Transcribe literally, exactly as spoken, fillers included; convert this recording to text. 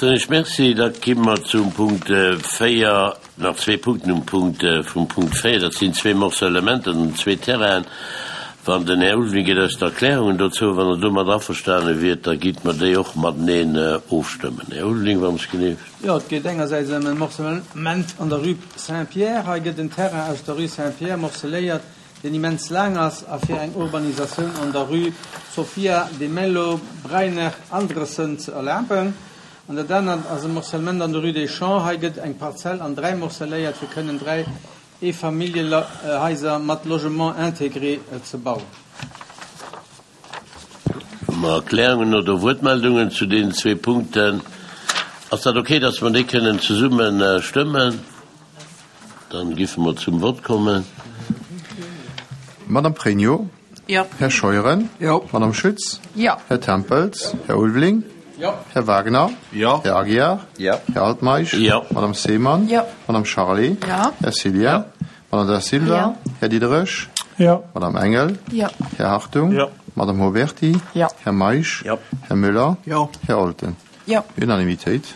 Soen ech Merci. Da gi mer zum Punkt véier, nach zwee Punkten um Punkt vum Punkt véier. Dat sinn zwee Morcellementen an zwee Terrainen. Wann den Här Ulveling gëtt eis d'Erklärungen dozou, wann Der domat averstane wiert, da gitt mer déi och mateneen ofstëmmen. Här Ulveling, wann ech geneeft. Jo, et geet engersäits ëm e Morcellement an der Rue Saint-Pierre. Hei gëtt en Terrain aus der Rue Saint-Pierre morceléiert, deen immens laang ass a fir eng Urbanisatioun an der Rue Sophia de Mello Breyner Andresen ze erlaben. An dat anert ass e Morcellement an der Rue des Champs. Hei gëtt eng Parzell an dräi morceléiert, fir kënnen dräi Eefamilljenhaiser mat Logement intégré ze bauen. Hu mer Erklärungen oder Wuertmeldungen zu deenen zwee Punkten? Ass dat okay, dass mer déi kënnen zesumme stëmmen? Dann giffe mer zum Vott kommen. Madame Pregno. Jo. Här Scheuren. Jo. Madame Schütz. Jo. Här Tempels. Här Ulveling. Jo. Här Wagner. Jo. Här Aguiar. Jo. Här Altmeisch. Jo. Madame Seemann. Jo. Madame Charlé. Jo. Här Cillien. Jo. Madame Da Silva. Jo. Här Diderich. Jo. Madame Engel. Jo. Här Hartung. Jo. Madame Mauberti. Jo. Här Meisch. Jo. Här Müller. Jo. Här Olten. Jo. Unanimitéit.